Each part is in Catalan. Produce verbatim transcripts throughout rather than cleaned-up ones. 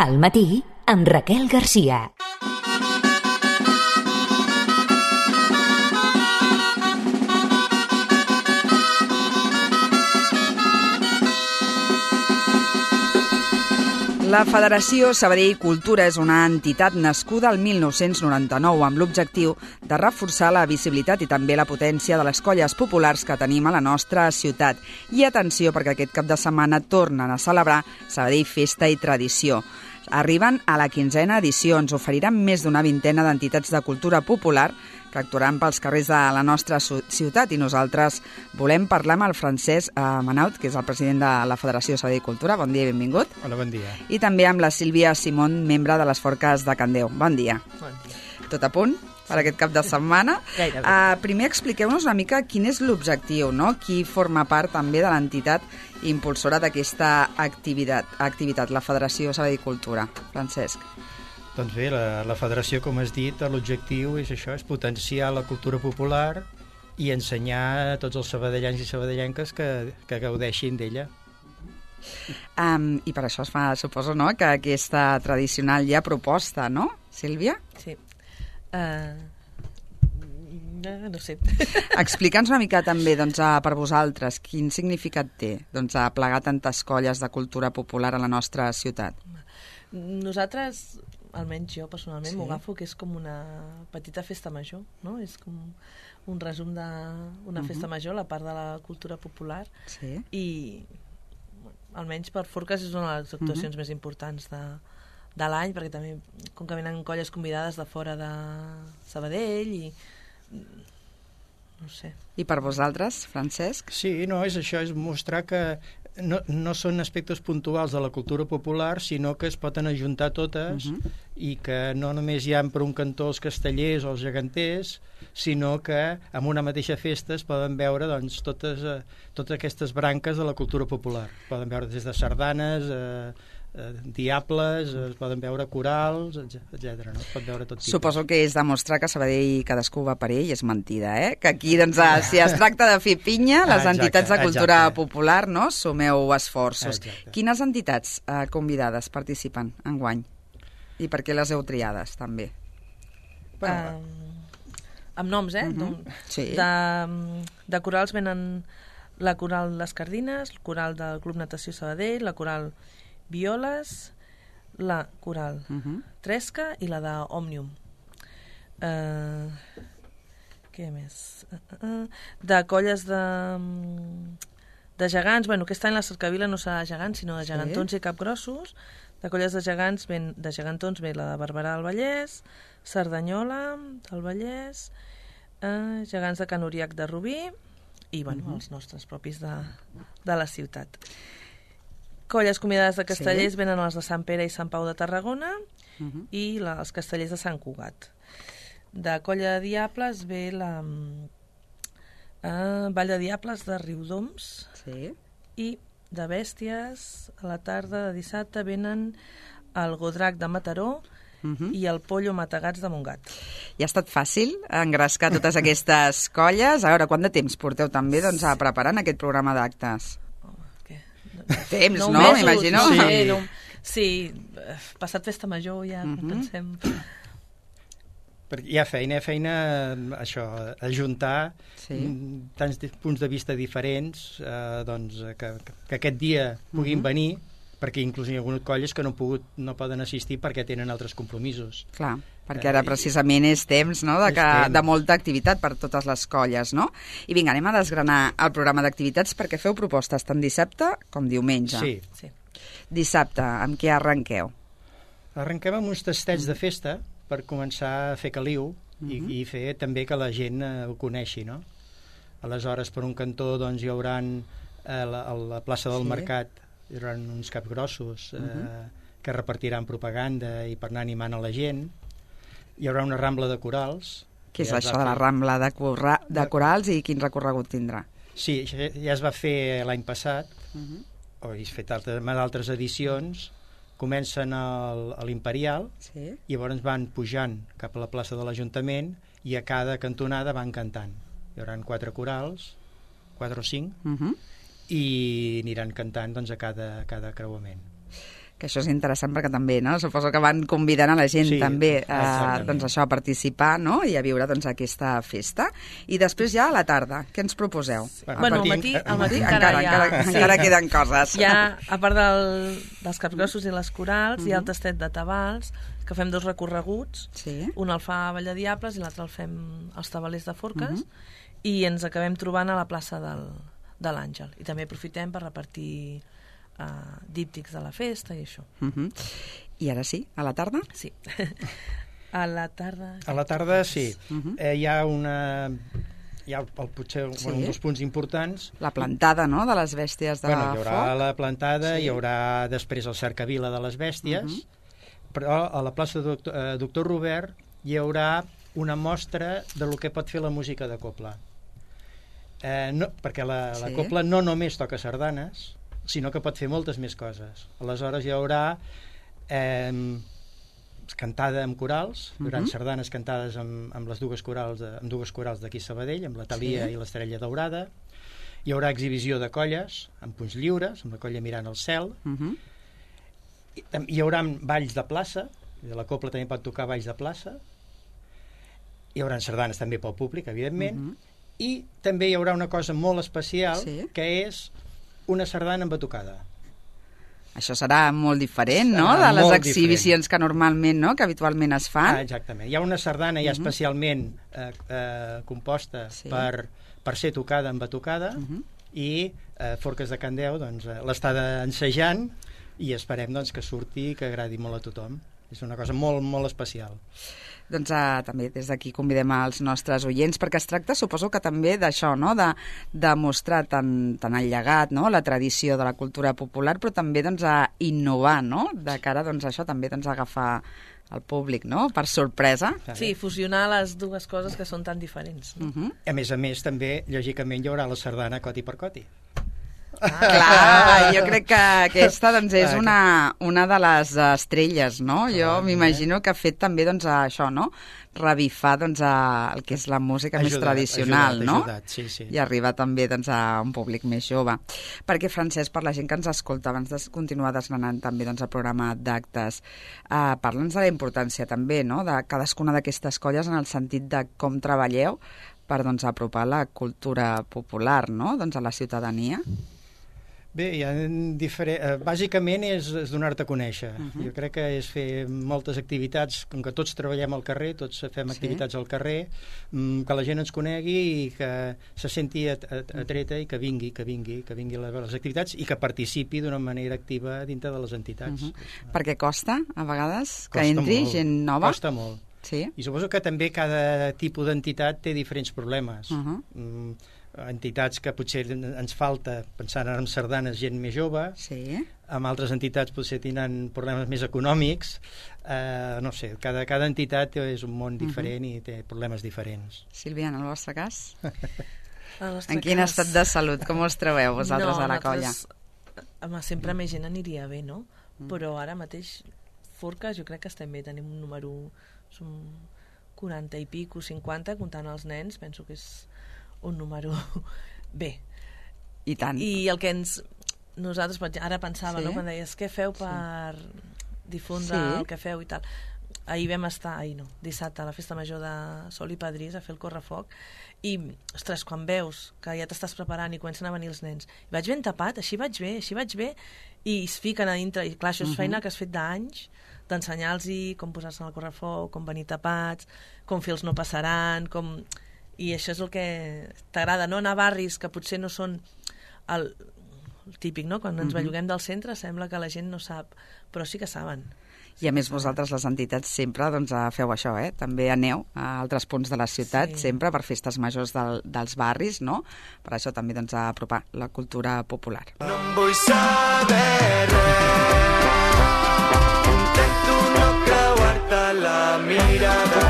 Al matí, amb Raquel Garcia. La Federació Sabadell Cultura és una entitat nascuda el mil nou-cents noranta-nou amb l'objectiu de reforçar la visibilitat i també la potència de les colles populars que tenim a la nostra ciutat. I atenció, perquè aquest cap de setmana tornen a celebrar Sabadell Festa i Tradició. Arriben a la quinzena edició, ens oferiran més d'una vintena d'entitats de cultura popular que actuaran pels carrers de la nostra ciutat, i nosaltres volem parlar amb el Francesc eh, Manaut, que és el president de la Federació Sabadell Cultura. Bon dia i benvingut. Hola, bon dia. I també amb la Sílvia Simón, membre de les Forques de Can Déu. Bon dia. Bon dia. Tot a punt per aquest cap de setmana? Gairebé. Uh, primer expliqueu-nos una mica quin és l'objectiu, no? Qui forma part també de l'entitat impulsora d'aquesta activitat, activitat, la Federació Sabadell Cultura. Francesc. Doncs bé, la, la federació, com has dit, l'objectiu és això, és potenciar la cultura popular i ensenyar a tots els sabadellans i sabadellenques que, que gaudeixin d'ella. Um, I per això es fa, suposo, no?, que aquesta tradicional ja proposta, no, Sílvia? Sí. Uh, no sé. Explica'ns una mica també, doncs, per vosaltres, quin significat té, doncs, a plegar tantes colles de cultura popular a la nostra ciutat. Nosaltres, almenys jo personalment, sí. m'ho agafo que és com una petita festa major, no? És com un resum d'una uh-huh. festa major, la part de la cultura popular, sí. i almenys per Forques és una de les actuacions uh-huh. més importants de, de l'any, perquè també com que venen colles convidades de fora de Sabadell i no sé. I per vosaltres, Francesc? Sí, no, és això, és mostrar que no, no són aspectes puntuals de la cultura popular, sinó que es poden ajuntar totes uh-huh. i que no només hi ha per un cantó els castellers o els geganters, sinó que en una mateixa festa es poden veure doncs, totes, eh, totes aquestes branques de la cultura popular. Poden veure des de sardanes, eh, eh, diables, es poden veure corals, etcètera. No? Es pot veure tot tipus. Suposo que és demostrar que Sabadell cadascú va per ell, és mentida, eh? Que aquí, doncs, si es tracta de fer pinya, les ah, exacte, entitats de cultura exacte. popular, no?, sumeu esforços. Exacte. Quines entitats eh, convidades participen enguany? I per què les heu triades, també? Bueno, um, amb noms, eh? Uh-huh. Sí. De, de corals venen la coral Les Cardines, el coral del Club Natació Sabadell, la coral Violes, la coral uh-huh. Tresca i la de Òmnium. Uh, què més? Uh, uh, uh. De colles de, de gegants, bueno, aquest any la cercavila no serà de gegants, sinó de gegantons sí. i capgrossos. De colles de gegants, ben, de gegantons ve la de Barberà del Vallès, Cerdanyola del Vallès, uh, gegants de Can Uriac de Rubí i, bueno, uh-huh. els nostres propis de, de la ciutat. Colles convidades de castellers sí. venen els de Sant Pere i Sant Pau de Tarragona uh-huh. i la, els castellers de Sant Cugat. De colla de diables ve la uh, Vall de Diables de Riudoms sí. i de bèsties a la tarda de dissabte venen el Godrac de Mataró uh-huh. i el Pollo Matagats de Montgat. I ha estat fàcil engrescar totes aquestes colles? A veure, quant de temps porteu també doncs, a preparar aquest programa d'actes? Temps, no? no M'imagino. No, sí. No, sí, passat festa major ja uh-huh. pensem... Perquè hi ha feina, hi ha feina, això, ajuntar sí. tants punts de vista diferents, eh, doncs, que, que aquest dia puguin uh-huh. venir, perquè inclús hi ha algunes colles que no, pogut, no poden assistir perquè tenen altres compromisos. Clar, perquè ara precisament és temps, no?, de, que, temps. de molta activitat per totes les colles, no? I vinga, anem a desgranar el programa d'activitats perquè feu propostes tant dissabte com diumenge. Sí. sí. Dissabte, amb què arrenqueu? Arrenquem amb uns tastets mm. de festa per començar a fer caliu mm-hmm. i, i fer també que la gent eh, ho coneixi, no? Aleshores, per un cantó, doncs, hi haurà eh, la, a la plaça del sí. Mercat hi haurà uns capgrossos eh, uh-huh. que repartiran propaganda i per anar animant a la gent. Hi haurà una rambla de corals. Què és ja això de la rambla de, corra... de corals i quin recorregut tindrà? Sí, ja es va fer l'any passat, uh-huh. o he fet altres, altres edicions. Comencen al, a l'Imperial sí. i llavors van pujant cap a la plaça de l'Ajuntament i a cada cantonada van cantant. Hi haurà quatre corals, quatre o cinc, uh-huh. i aniran cantant doncs, a cada, a cada creuament. que això és interessant perquè també, no? Suposo que van convidant a la gent Sí, també a, exactament. doncs això, a participar, no? I a viure doncs, aquesta festa. I després ja a la tarda, què ens proposeu? Bueno, al matí, al matí encara, encara, encara, hi ha... encara queden coses. Hi ha, a part del, dels capgrossos i les corals, hi ha el tastet de tabals, que fem dos recorreguts, Sí. un el fa a Valladiables i l'altre el fem als tabalers de Forques, i ens acabem trobant a la plaça del, de l'Àngel. I també aprofitem per repartir uh, díptics de la festa i això. Uh -huh. I ara sí, a la tarda? Sí. A la tarda... A la tarda, sí. Uh-huh. eh, hi ha una... Hi ha el, el, potser Sí. bueno, un dels punts importants. La plantada, no?, de les bèsties de Bueno, hi haurà foc. la plantada, Sí. hi haurà després el cercavila de les bèsties, Uh-huh. però a la plaça Doctor, eh, Doctor Robert hi haurà una mostra de lo que pot fer la música de cobla. Eh, no, perquè la, la Sí. cobla no només toca sardanes, sinó que pot fer moltes més coses. Aleshores hi haurà eh, cantada amb corals, Uh-huh. grans sardanes cantades amb, amb les dues corals de, amb dues corals d'aquí a Sabadell, amb la Thalia Sí. i l'Estrella Daurada. Hi haurà exhibició de colles amb punys lliures, amb la colla mirant al cel. Uh -huh. Hi, tam- hi haurà balls de plaça, la cobla també pot tocar balls de plaça. Hi haurà sardanes també pel públic, evidentment. Uh -huh. I també hi haurà una cosa molt especial, Sí. que és una sardana amb batucada. Això serà molt diferent, no?, Serà de les molt exhibicions que normalment, no?, que habitualment es fan. Ah, exactament. Hi ha una sardana ja Uh-huh. especialment eh, eh, composta Sí. per, per ser tocada amb batucada, Uh-huh. i eh, Forques de Can Deu doncs, eh, l'està ensejant, i esperem doncs, que surti i que agradi molt a tothom. És una cosa molt, molt especial. Doncs uh, també des d'aquí convidem als nostres oients, perquè es tracta, suposo que també d'això, no?, de, de mostrar tant, tant el llegat, no?, la tradició de la cultura popular, però també doncs, a innovar, no?, de cara doncs, a això també doncs, a agafar el públic, no?, per sorpresa. Sí, fusionar les dues coses que són tan diferents. No? Uh -huh. A més a més, també, lògicament, hi haurà la sardana coti per coti. Ah, clar, jo crec que aquesta doncs, és una, una de les estrelles, no? Jo Ah, m'imagino que ha fet també doncs, això, no?, revifar doncs, a, el que és la música més Ajudat, tradicional, ajudat, no? ajudat, sí, sí. I arribar també doncs, a un públic més jove. Perquè, Francesc, per la gent que ens escolta, abans de continuar desgranant també doncs, el programa d'actes, eh, parla'ns de la importància també, no?, de cadascuna d'aquestes colles en el sentit de com treballeu per doncs, apropar la cultura popular, no?, doncs, a la ciutadania. Bé, hi ha diferent... eh, bàsicament és, és donar-te a conèixer. Uh -huh. Jo crec que és fer moltes activitats, com que tots treballem al carrer, tots fem Sí. activitats al carrer, mm, que la gent ens conegui i que se senti at, at, atreta i que vingui, que vingui, que vingui a les activitats i que participi d'una manera activa dintre de les entitats. Uh -huh. Perquè costa, a vegades, que Costa entri molt, gent nova? Costa molt. Sí. I suposo que també cada tipus d'entitat té diferents problemes. Uh -huh. mm, entitats que potser ens falta, pensant en sardanes, gent més jove, Sí. amb altres entitats potser tenen problemes més econòmics, eh, no sé, cada, cada entitat és un món diferent uh-huh. i té problemes diferents. Sílvia, en el vostre cas? El nostre En quin cas- estat de salut? Com us trobeu vosaltres no, a la colla? nosaltres, home, sempre més gent aniria bé, no? Mm. Però ara mateix, Forques, jo crec que estem bé, tenim un número, som quaranta i pico, cinquanta, comptant els nens, penso que és un número bé. I tant. I el que ens... Nosaltres, ara pensava, Sí? no?, quan deies, què feu per difondre Sí. el que feu i tal. Ahir vam estar, ahir no, dissabte, a la festa major de Sol i Padrís, a fer el correfoc, i, ostres, quan veus que ja t'estàs preparant i comencen a venir els nens, i vaig ben tapat, així vaig bé, així vaig bé, i es fiquen a dintre, i clar, això és feina que has fet d'anys, d'ensenyar-los com posar-se en el correfoc, com venir tapats, com fer els no passaran, com... I això és el que t'agrada, no?, anar a barris que potser no són el, el típic, no?, quan ens belluguem del centre sembla que la gent no sap, però sí que saben. I a més vosaltres, les entitats, sempre doncs, feu això, eh? També aneu a altres punts de la ciutat, Sí. sempre per festes majors del, dels barris, no? Per això també doncs, a apropar la cultura popular. No em vull saber res, intento no creuar-te la mirada,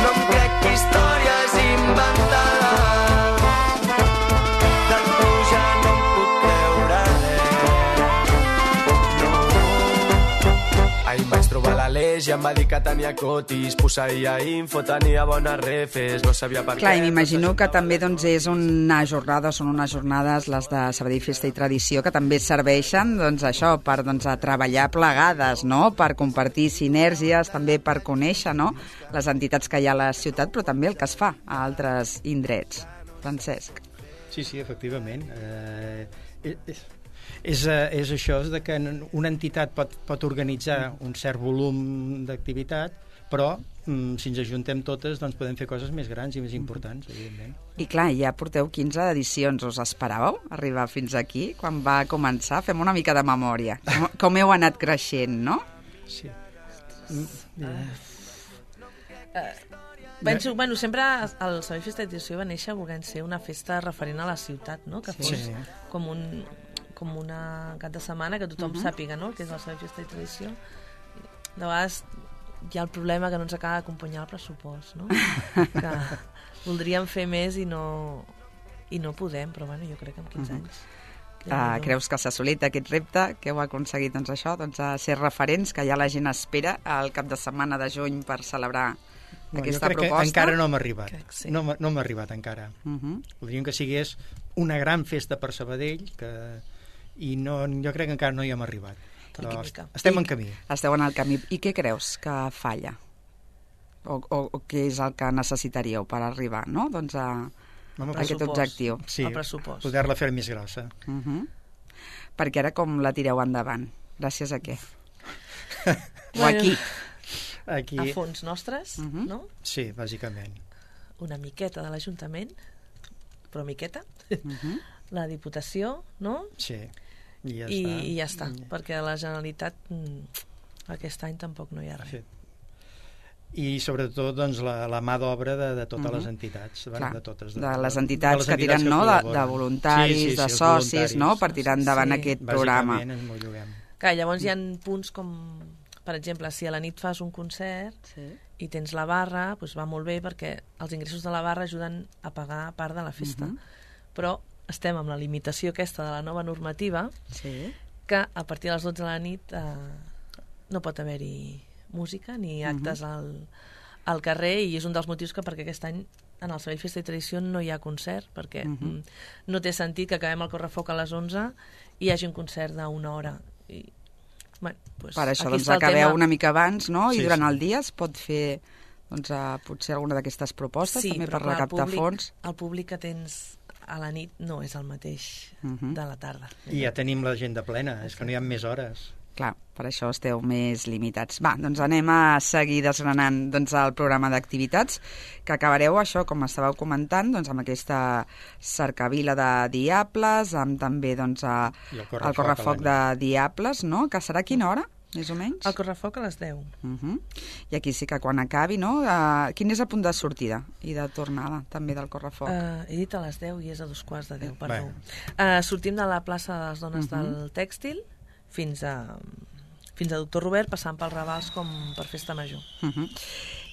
no em crec històries inventades, de tu ja no em puc creure res, no. Ai, maestro trobar l'Aleix i em va dir que tenia cotis, posseïa info, tenia bones refes, no sabia per Clar, què... i m'imagino que també doncs, és una jornada, són unes jornades, les de Sabadell Festa i Tradició, que també serveixen doncs, això per doncs, a treballar plegades, no? Per compartir sinergies, també per conèixer, no? Les entitats que hi ha a la ciutat, però també el que es fa a altres indrets. Francesc. Sí, sí, efectivament. Eh, és, és, és això, és de que una entitat pot, pot organitzar un cert volum d'activitat, però mm, si ens ajuntem totes doncs podem fer coses més grans i més importants, evidentment. I clar, ja porteu quinze edicions. Us esperàveu arribar fins aquí? Quan va començar? Fem una mica de memòria. Com, com heu anat creixent, no? Sí. Penso, bueno, sempre el Sabadell Festa i Tradició va néixer volent ser una festa referent a la ciutat, no? Que fos Sí. com un com una cap de setmana que tothom Mhm. sàpiga, no?, que és el Sabadell Festa i Tradició. De vegades hi ha el problema que no ens acaba d'acompanyar el pressupost, no? Que voldríem fer més i no, i no podem, però bueno, jo crec que en quinze Mhm. anys. Uh, creus que s'ha assolit aquest repte, que heu aconseguit doncs, això, doncs, a ser referents, que ja la gent espera al cap de setmana de juny per celebrar No, aquesta jo crec proposta? que encara no hem arribat. Crec que sí. No, m'ha- no hem arribat encara. Uh -huh. Voldríem que sigués una gran festa per Sabadell, que... i no, jo crec que encara no hi hem arribat. Però Mica, mica. estem I- en camí. Esteu en el camí. I què creus que falla? O, o, o què és el que necessitaríeu per arribar, no? Doncs a, Home, a aquest pressupost. objectiu. Sí, el pressupost. poder-la fer més grossa. Uh -huh. Perquè ara com la tireu endavant? Gràcies a què? O Bueno. aquí? Aquí, A fons nostres, Mhm. no? sí, bàsicament. Una miqueta de l'Ajuntament, però miqueta. Uh -huh. La Diputació, no? Sí, i ja I, està. i ja està, perquè a la Generalitat mm, aquest any tampoc no hi ha res. Sí. I sobretot doncs, la, la mà d'obra de, de totes Mhm. les entitats. Bueno, Clar, de, totes, de les entitats que tiren, no? De, de voluntaris, de socis, no? Per tirar endavant Sí. aquest programa. Bàsicament ens ho juguem. Clar, llavors hi ha punts com, per exemple, si a la nit fas un concert Sí. i tens la barra, doncs va molt bé perquè els ingressos de la barra ajuden a pagar part de la festa. Mhm. Però estem amb la limitació aquesta de la nova normativa, Sí. que a partir de les dotze de la nit eh, no pot haver-hi música ni actes Mhm. al, al carrer, i és un dels motius que perquè aquest any en el Sabadell Festa i Tradició no hi ha concert, perquè Mhm. mm, no té sentit que acabem el correfoc a les onze i hi hagi un concert d'una hora. I, bueno, pues, Per això aquí doncs, està el acabeu tema. una mica abans, no? I Sí, durant sí. el dia es pot fer doncs, a, potser alguna d'aquestes propostes, Sí, també però per clar, el recaptar públic- fons. El públic que tens a la nit no és el mateix Mhm. de la tarda. I ja tenim l'agenda plena, és que no hi ha més hores. Clar, per això esteu més limitats. Va, doncs anem a seguir desgranant doncs, el programa d'activitats, que acabareu això, com estàveu comentant, doncs, amb aquesta cercavila de Diables, amb també doncs, a, I el el correfoc correfoc a la de Diables, no? Que serà a quina hora, més o menys? El correfoc a les deu. Uh -huh. I aquí sí que quan acabi, no? Uh, quin és el punt de sortida i de tornada, també, del correfoc? Uh, he dit a les deu i és a dos quarts de deu, perdó. Bueno. Uh, sortim de la plaça de les Dones Mhm. del Tèxtil fins a, fins a Doctor Robert, passant pels Ravals com per Festa Major. Uh -huh.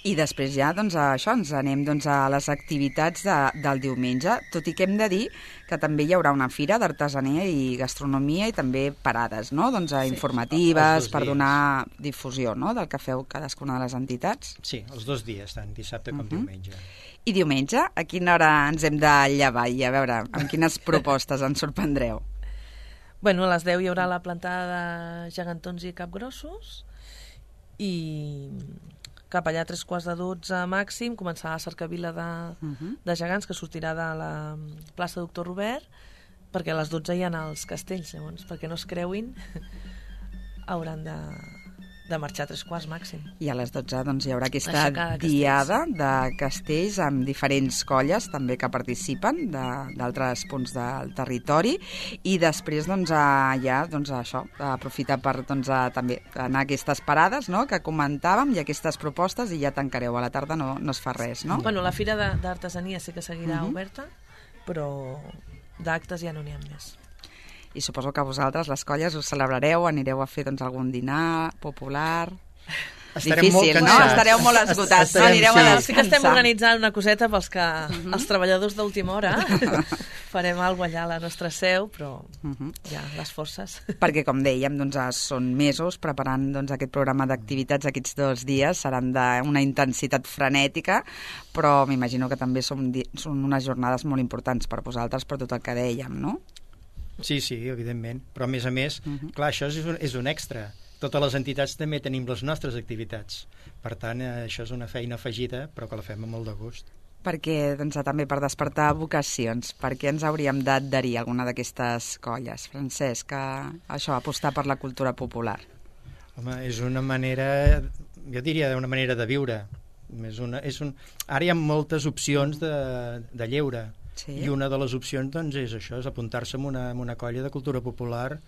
I després ja, doncs, a això, ens anem doncs, a les activitats de, del diumenge, tot i que hem de dir que també hi haurà una fira d'artesania i gastronomia i també parades, no? Doncs, els informatives, dos per dies. donar difusió, no?, del que feu cadascuna de les entitats. Sí, els dos dies, tant dissabte com Mhm. diumenge. I diumenge, a quina hora ens hem de llevar? I a veure, amb quines propostes ens sorprendreu? Bueno, a les deu hi haurà la plantada de gegantons i capgrossos i cap allà a tres quarts de dotze màxim començarà la cercavila de, Mhm. de gegants que sortirà de la plaça Doctor Robert, perquè a les dotze hi ha els castells, llavors, perquè no es creuin hauran de, de marxar a tres quarts màxim. I a les dotze doncs, hi haurà aquesta Aixecada de castells. diada de castells amb diferents colles també que participen de- d'altres punts del territori, i després doncs, a, ja doncs, a això, a aprofitar per doncs, a, també anar a aquestes parades, no?, que comentàvem, i aquestes propostes, i ja tancareu. A la tarda no, no es fa res, no? Bueno, la fira de- d'artesania sí que seguirà Mhm. oberta, però d'actes ja no n'hi ha més. I suposo que vosaltres, les colles, us celebrareu, anireu a fer doncs, algun dinar popular... Estarem Difícil, molt no? cansats. Estareu molt esgotats, no? Estarem- Anireu sí. a Sí que estem descansar. organitzant una coseta pels que els treballadors d'última hora farem alguna cosa allà a la nostra seu, però Uh -huh. ja, les forces. Perquè, com dèiem, doncs, són mesos preparant doncs, aquest programa d'activitats. Aquests dos dies seran d'una intensitat frenètica, però m'imagino que també són, són unes jornades molt importants per vosaltres, per tot el que dèiem, no? Sí, sí, evidentment. Però, a més a més, uh -huh. clar, això és un, és un extra. Totes les entitats també tenim les nostres activitats. Per tant, eh, això és una feina afegida, però que la fem amb molt de gust. Perquè, doncs, també per despertar vocacions, per què ens hauríem d'adherir a alguna d'aquestes colles? Francesc, que això, apostar per la cultura popular. Home, és una manera, jo diria una manera de viure. És una, és un... Ara hi ha moltes opcions de, de lleure, sí. I una de les opcions doncs, és això, és apuntar-se en una, en una colla de cultura popular,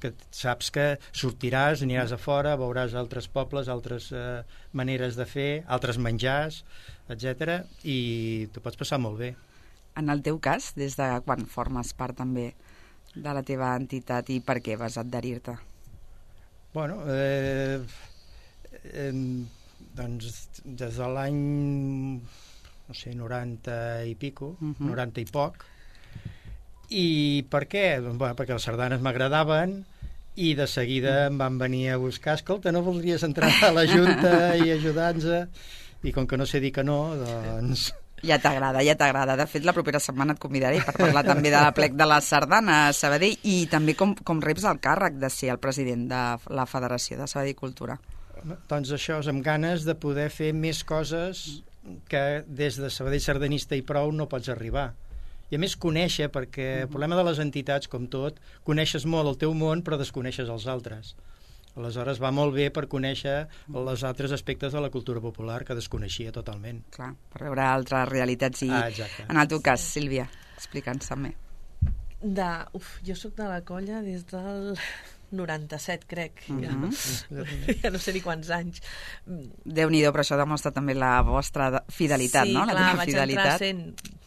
que saps que sortiràs, aniràs a fora, veuràs altres pobles, altres eh, maneres de fer, altres menjars, etcètera, i t'ho pots passar molt bé. En el teu cas, des de quan formes part també de la teva entitat i per què vas adherir-te? Bueno, eh, eh, doncs des de l'any, no sé, noranta i pico, uh -huh. noranta i poc. I per què? Bueno, perquè les sardanes m'agradaven i de seguida em van venir a buscar, escolta, no voldries entrar a la Junta i ajudar-nos? I com que no sé dir que no, doncs... Ja t'agrada, ja t'agrada. De fet, la propera setmana et convidaré per parlar també de la plec de la sardana a Sabadell i també com, com reps el càrrec de ser el president de la Federació de Sabadell Cultura. Doncs això, és amb ganes de poder fer més coses que des de Sabadell Sardanista i prou no pots arribar. I a més conèixer, perquè el problema de les entitats, com tot, coneixes molt el teu món però desconeixes els altres. Aleshores va molt bé per conèixer els altres aspectes de la cultura popular que desconeixia totalment. Clar, per veure altres realitats. I ah, exacte. En el teu cas, Sílvia, explica'ns també. De, uf, jo sóc de la colla des del noranta-set, crec. Uh -huh. ja, ja no sé ni quants anys. Déu-n'hi-do, però això demostra també la vostra fidelitat, sí, no? Sí, la clar, vaig fidelitat. entrar sent...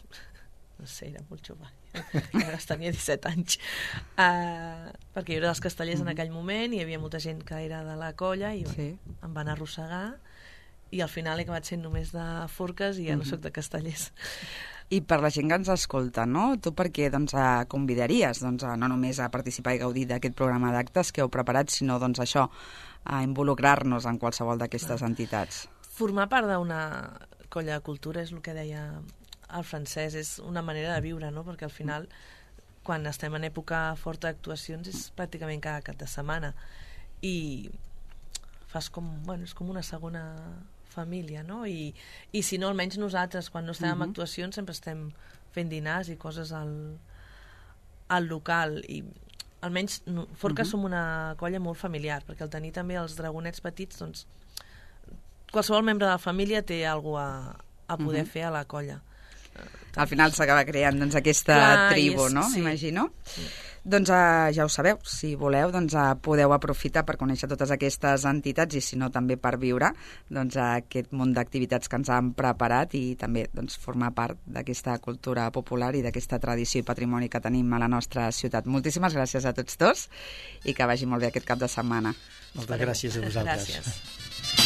No sé, era molt jove. Ara tenia disset anys. Uh, perquè jo era dels Castellers uh -huh. en aquell moment i hi havia molta gent que era de la colla i sí. em van arrossegar i al final he acabat sent només de Forques i ja uh -huh. no soc de Castellers. I per la gent que ens escolta, no? Tu per què doncs, convidaries doncs, a, no només a participar i gaudir d'aquest programa d'actes que heu preparat, sinó doncs, això, a involucrar-nos en qualsevol d'aquestes entitats? Formar part d'una colla de cultura és el que deia el francès, és una manera de viure, no? Perquè al final, quan estem en època forta d'actuacions, és pràcticament cada cap de setmana. I fas com, bueno, és com una segona família, no? I, i si no, almenys nosaltres, quan no estem en uh -huh. actuacions, sempre estem fent dinars i coses al, al local. I almenys, no, Forques uh -huh. som una colla molt familiar, perquè al tenir també els dragonets petits, doncs, qualsevol membre de la família té alguna a, a poder uh -huh. fer a la colla. Al final s'acaba creant doncs, aquesta Clar, tribu, és, no? Sí. Imagino. Sí. Doncs uh, ja ho sabeu, si voleu doncs, uh, podeu aprofitar per conèixer totes aquestes entitats i si no també per viure doncs, uh, aquest munt d'activitats que ens han preparat i també doncs, formar part d'aquesta cultura popular i d'aquesta tradició i patrimoni que tenim a la nostra ciutat. Moltíssimes gràcies a tots dos i que vagi molt bé aquest cap de setmana. Moltes gràcies a vosaltres. Gràcies.